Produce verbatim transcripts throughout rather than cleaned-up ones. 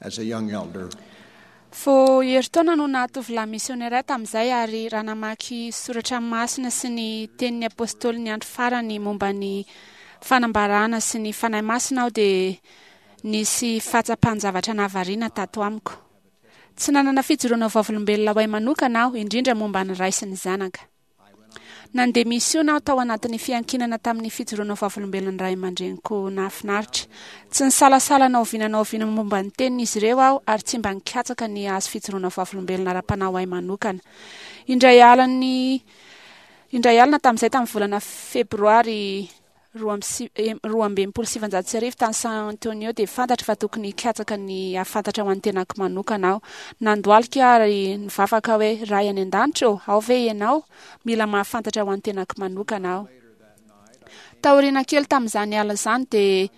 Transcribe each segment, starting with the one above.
as a young elder. Vao herintaona no nahatovolahy misionera tamin'izay, ary raha namaky soratra masina sy ny tenin'ny apôstôly ny andro farany momba ny fanambarana sy ny Fanahy Masina aho, dia nisy fahatsapan-javatra nahavariana tato amiko. Tsy nanana fijoroana vavolombelona ho ahy manokana aho, indrindra momba ny Ray sy ny Zanaka. Nandeha misiona aho tao anatin'ny fiankinana tamin'ny fijoroana vavolombelon'ny ray aman-dreniko nahafinaritra. Tsy nisalasala na oviana na oviana momba ny tenin'izy ireo aho, ary tsy mba nikatsaka ny hahazo fijoroana vavolombelona ara-panahy ho ahy manokana. Indray alina indray alina tamin'izay, tamin'ny volana febroary roa amby si- eh, roa amby enimpolo sy sivanjato sy arivo tany San Antonio, dia fantatro fa tokony hikatsaka ny hahafantatra ho an'ny tenako manokana aho. Nandohalika ary nivavaka hoe: "Ray any an-danitra ô, ao ve ianao? Mila mahafantatra ho an'ny tenako manokana aho." Taoriana kely tamin'izany alina izany, dia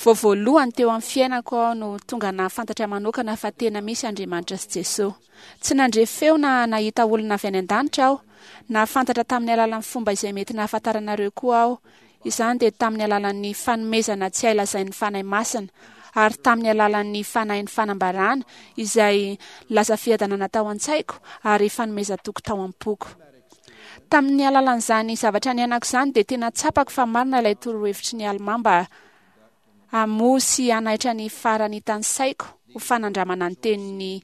vao voalohany teo amin'ny fiainako aho no tonga nahafantatra manokana fa tena misy Andriamanitra sy Jesosy. Tsy nandre feo na nahita olona avy any an-danitra aho. Nahafantatra tamin'ny alalan'ny fomba izay mety nahafantaranareo koa aho. Izany dia tamin'ny alalan'ny fanomezana tsy hay lazain'ny Fanahy Masina, ary tamin'ny alalan'ny fanahin'ny fanambarana izay lasa fiadanana tao an-tsaiko ary fanomezan-toky tao am-poko. Tamin'ny alalan'izany zavatra niainako izany, dia tena tsapako fa marina ilay torohevitry ny Almà mba hamoha sy hanaitra ny faranitan'ny saiko ho fanandramana ny teniny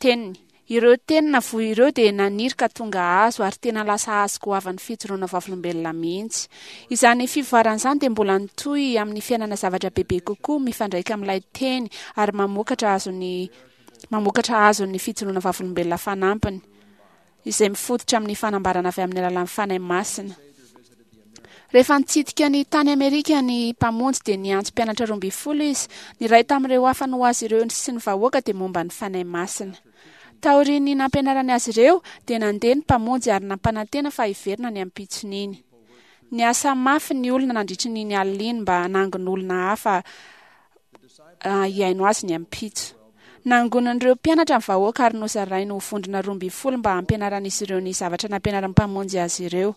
teniny. Ireo teny navoa ireo dia naniry ka tonga hazo, ary tena lasa hazo goavan'ny fijoroana vavolombelona mihitsy. Izany fivoarana izany dia mbola nitohy amin'ny fiainana zavatra bebe kokoa mifandraika amin'ilay teny, ary mamokatra azony mamokatra azon'ny fijoroana vavolombelona fanampiny izay mifototra amin'ny fanambarana avy amin'ny alalan'ny Fanahy Masina. Rehefa nitsidika ny tany Amerika ny Mpamonjy, dia niantso mpianatra roa ambin'ny folo izy. Ny iray tamin'ireo hafany ho azy ireo sy ny vahoaka dia momba ny Fanahy Masina. Taorian'ny nampianarany azy ireo, dia nandeha ny Mpamonjy ary nampanantena fa hiverina ny ampitson'iny. Niasa mafy ny olona nandritra iny alina iny mba hanangona olona hafa hihaino azy ny ampitso. Nangonin'ireo mpianatra ny vahoaka ary nozarainy ho vondrona roa ambin'ny folo mba hampianaran'izy ireo ny zavatra nampianaran'ny Mpamonjy azy ireo.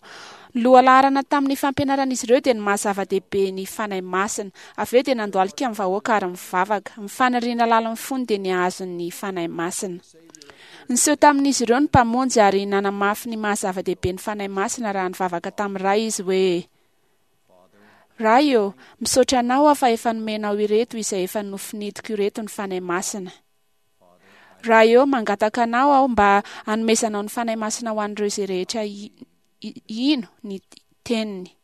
Ny lohalaharana tamin'ny fampianaran'izy ireo dia ny maha zava-dehibe ny Fanahy Masina. Avy eo dia nandohalika ny vahoaka ary mivavaka. Ny faniriana lalin'ny fony dia ny hahazo ny Fanahy Masina. Niseho tamin'izy ireo ny Mpamonjy ary nanamafy ny maha zava-dehibe ny Fanahy Masina raha nivavaka tamin'ny Ray izy hoe: "Ray ô, misaotra anao aho fa efa nomenao ireto izay efa nofinidiko ireto ny Fanahy Masina. Ray ô, mangataka anao aho mba hanomezanao ny Fanahy Masina ho an'ireo izay rehetra hino ny teniny."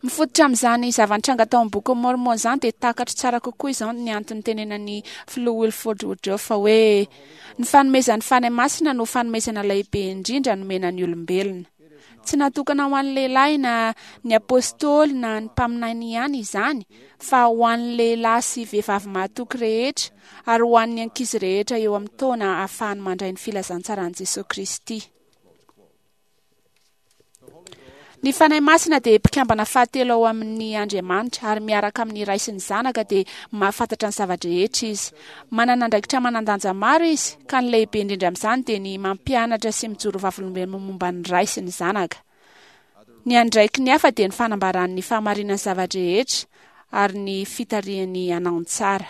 Mifototra amin'izany zava-nitranga tao amin'ny Bokin'i Môrmôna izany, dia takatro tsara kokoa izao ny antony tenenan'ny filoha Wilford Woodruff fa hoe ny fanomezan'ny Fanahy Masina no fanomezana lehibe indrindra nomena ny olombelona. Tsy natokana ho an'ny lehilahy na ny apôstôly na ny mpaminany ihany izany, fa ho an'ny lehilahy sy vehivavy mahatoky rehetra, ary ho an'ny ankizy rehetra eo amin'ny taona ahafahany mandray ny filazantsaran'i Jesosy Kristy. Ny Fanahy Masina dia mpikambana fahatelo ao amin'ny Andriamanitra, ary miaraka amin'ny Ray sy ny Zanaka dia mahafantatra ny zava-drehetra izy. Manana andraikitra manan-danja maro izy, ka ny lehibe indrindra amin'izany dia ny mampianatra sy mijoro vavolombelona momba ny Ray sy ny Zanaka. Ny andraikiny hafa dia ny fanambarany ny fahamarinan'ny zava-drehetra ary ny fitarihany hanao ny tsara.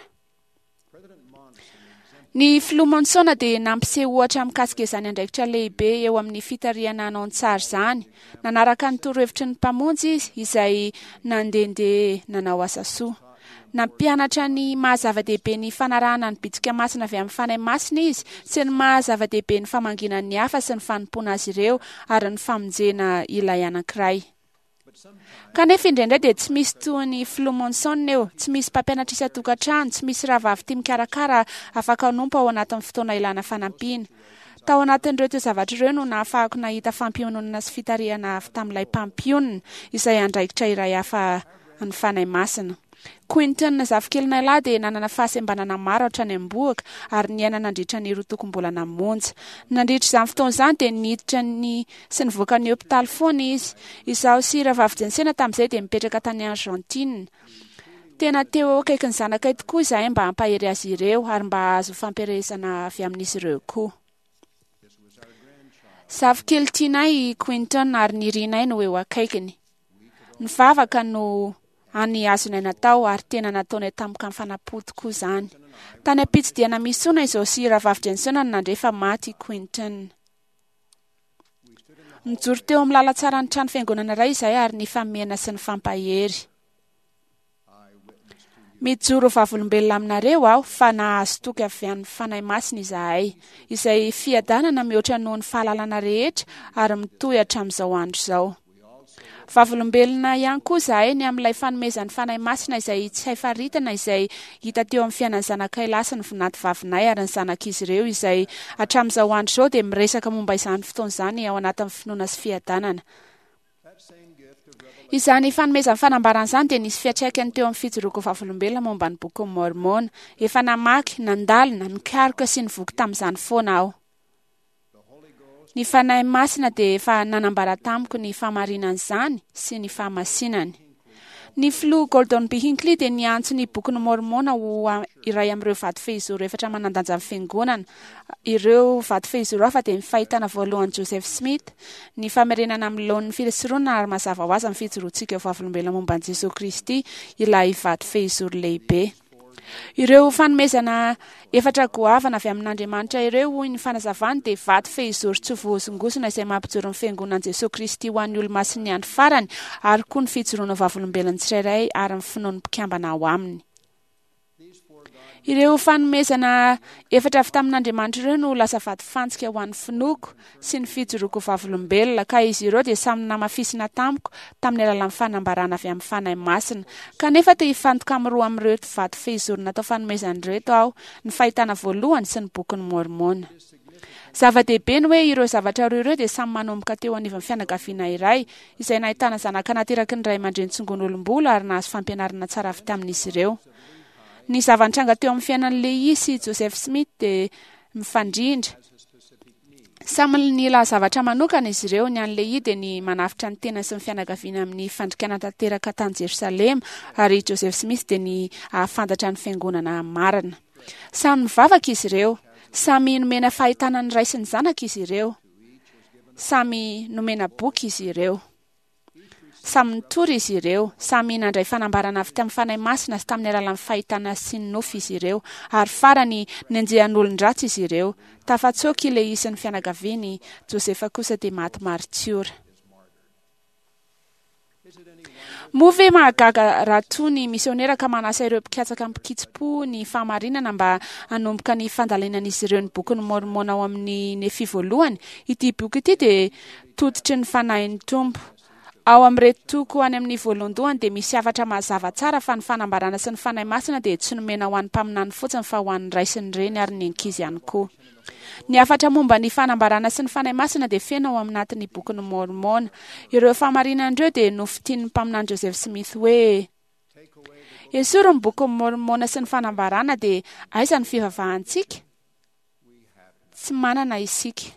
Ny filoha Monson dia nampiseho ohatra mikasika izany andraikitra lehibe eo amin'ny fitarihana hanao ny tsara izany. Nanaraka ny torohevitry ny Mpamonjy izy, izay nandehandeha nanao asa soa. Nampianatra ny maha zava-dehibe ny fanarahana ny bitsika masina avy amin'ny Fanahy Masina izy, sy ny maha zava-dehibe ny famangiana ny hafa sy ny fanompoana azy ireo ary ny famonjena ilay anankiray. Kanefa indraindray dia tsy misy toy ny filoha Monson eo, tsy misy mpampianatra isan-tokantrano, tsy misy rahavavy tia mikarakara afaka hanompo ao anatin'ny fotoana ilana fanampiana. Tao anatin'ireo toe-javatra ireo no nahafahako nahita fampiononana sy fitarihana avy tamin'ilay mpampionona, izay andraikitra iray hafa ny Fanahy Masina. Quinton zafikelinay lahy dia nanana fahasembanana maro hatrany am-bohoka ary niaina nandritra ny roa tokom-bolana monja. Nandritra izany fotoana izany dia niditra ny sy nivoaka ny hopitaly foana izy. Izaho sy rahavavy Jensena tamin'izay dia mipetraka tany Argentine. Tena teo eo akaikin'ny zanakay tokoa izahay mba hampahery azy ireo ary mba hahazo fampielezana avy amin'izy ireo koa. Zafikely tianay i Quinton ary nirinay no eo akaikiny. Ny vavaka no Any azonay natao ary tena nataonay tamim-kafanam-po tokoa izany. Tany am-pitsidihana misiona izao sy Rahavavy Jensen no nandre fa maty i Quinton. Nijoro teo amin'ny lalan-tsaran'ny trano fiangonana iray izahay ary nifamihana sy nifampahery. Mijoro vavolombelona aminareo aho fa nahazo toky avy amin'ny Fanahy Masina izahay, izay fiadanana mihoatra noho ny fahalalana rehetra ary mitohy hatramin'izao andro izao. Vavolombelona ihany koa izahay ny amin'ilay fanomezan'ny Fanahy Masina izay tsy hay faritana izay hita teo amin'ny fiainan'ny zanakay lahy sy ny vinanto vavinay ary ny zanak'izy ireo izay hatramin'izao andro izao dia miresaka momba izany fotoana izany ao anatin'ny finoana sy fiadanana. Izany fanomezan'ny fanambarana izany dia nisy fiantraikany teo amin'ny fijoroako vavolombelona momba ny bokin'i Môrmôna. Efa namaky, nandalina, nikaroka sy nivoky tamin'izany foana aho. Ny Fanahy Masina dia efa nanambara tamiko ny fahamarinan'izany sy ny fahamasinany. Ny filoha Gordon B. Hinckley dia niantso ny bokin'i Môrmôna ho iray amin'ireo vato fehizoro efatra manan-danja amin'ny fiangonana. Ireo vato fehizoro hafa dia ny fahitana voalohan'i Joseph Smith, ny famerenana amin'ny laoniny fisoronana ary mazava ho azy ny fijoroantsika ho vavolombelona momba an'i Jesoa Kristy, ilay vato fehizoro lehibe. Ireo fanomezana efatra goavana avy amin'Andriamanitra ireo, hoy ny fanazavany, dia vato fehizoro tsy voahozongozona izay mampijoro ny fiangonan'i Jesoa Kristy ho an'ny olomasin'ny andro farany, ary koa ny fijoroana vavolombelon'ny tsirairay ary ny finoan'ny mpikambana ao aminy. Ireo fanomezana efatra avy tamin'Andriamanitra ireo no lasa vato fantsika ho an'ny finoako sy ny fijoroako vavolombelona, ka izy ireo dia samy namafisina tamiko tamin'ny alalan'ny fanambarana avy amin'ny Fanahy Masina. Kanefa te hifantoka amin'ny roa amin'ireto vato fehizoro natao fanomezana ireto aho, ny fahitana voalohany sy ny bokin'i Môrmôna. Zava-dehibe ny hoe ireo zavatra roa ireo dia samy manomboka teo anivon'ny fianakaviana iray, izay nahitana zanaka nateraky ny ray aman-dreny tsongon'olom-bolo ary nahazo fampianarana tsara avy tamin'izy ireo. Ny zava-nitranga teo amin'ny fiainan'i Lehi sy Joseph Smith dia mifandrindra. Samy nila zavatra manokana izy ireo. Ny an'i Lehi dia ny manavotra ny tena sy ny fianakaviana amin'ny fandikana tanteraka tany Jerosalema, ary Joseph Smith dia ny hahafantatra ny fiangonana marina. Samy nivavaka izy ireo. Samy nomena fahitana ny ray sy ny zanaka izy ireo. Samy nomena boky izy ireo. Samy nitory izy ireo, samy nandray fanambarana avy tamin'ny Fanahy Masina sy tamin'ny alalan'ny fahitana sy ny nofy izy ireo, ary farany nenjehan'olon-dratsy izy ireo. Tafatsoaka i Lehi sy ny fianakaviany, Josefa kosa dia maty maritiora. Moa ve mahagaga raha toa ny misionera ka manasa ireo mpikatsaka mpikitsi-po ny fahamarinana mba hanomboka ny fandalinan'izy ireo ny bokin'i Môrmôna ao amin'ny Nefia voalohany? Ity boky ity dia tototry ny Fanahin'ny Tompo. Ao amin'ireto toko any amin'ny voalohandohany dia misy hafatra mazava tsara fa ny fanambarana sy ny Fanahy Masina dia tsy nomena ho an'ny mpaminany fotsiny fa ho an'ny ray sy ny reny ary ny ankizy ihany koa. Ny hafatra momba ny fanambarana sy ny Fanahy Masina dia feno ao anatin'ny bokin'i Môrmôna. Ireo fahamarinana ireo dia nofintinin'ny mpaminany Joseph Smith hoe: Esory ny bokin'i Môrmôna sy ny fanambarana dia aiza ny fivavahantsika? Tsy manana isika.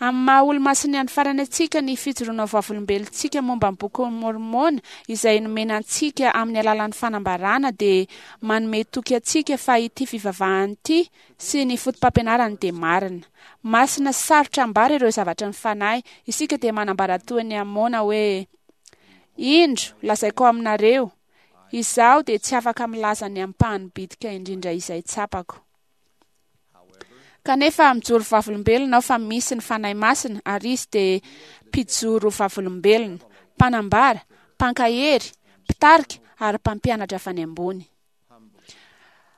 Amin'ny maha olomasin'ny andro farany antsika, ny fijoroana vavolombelontsika momba ny bokin'i Môrmôna izay nomena antsika amin'ny alalan'ny fanambarana dia manome toky antsika fa ity fivavahana ity sy ny fotopampianarany dia marina. Masina sy sarotra ambara ireo zavatra ny fanahy. Isika dia manambara toy ny Amôna hoe: Indro, lazaiko aminareo, izaho dia tsy afaka milaza ny ampahany bitika indrindra izay tsapako. Kanefa mijoro vavolombelona aho fa misy ny Fanahy Masina ary izy dia mpijoro vavolombelona, mpanambara, mpankahery, mpitarika ary mpampianatra avy any ambony.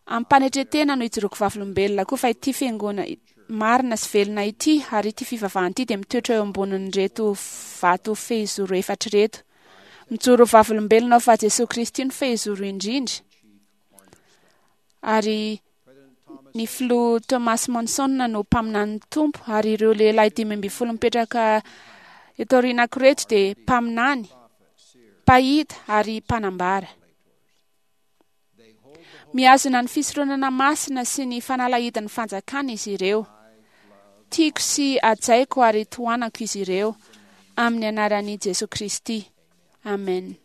Am-panetren-tena no ijoroako vavolombelona koa fa ity fiangonana marina sy velona ity ary ity fivavahana ity dia mitoetra eo ambonin'ireto vato fehizoro efatra ireto. Mijoro vavolombelona aho fa Jesoa Kristy no fehizoro indrindra ary ny filoha Thomas Monson no mpaminanin'ny Tompo ary ireo lehilahy dimy ambin'ny folo mipetraka eto aorianako ireto dia mpaminany, mpahita ary mpanambara. Mihazona ny fisoronana masina sy ny fanalahidin'ny fanjakana izy ireo. Tiako sy hajaiko ary tohanako izy ireo amin'ny anaran'i Jesoa Kristy. Amen.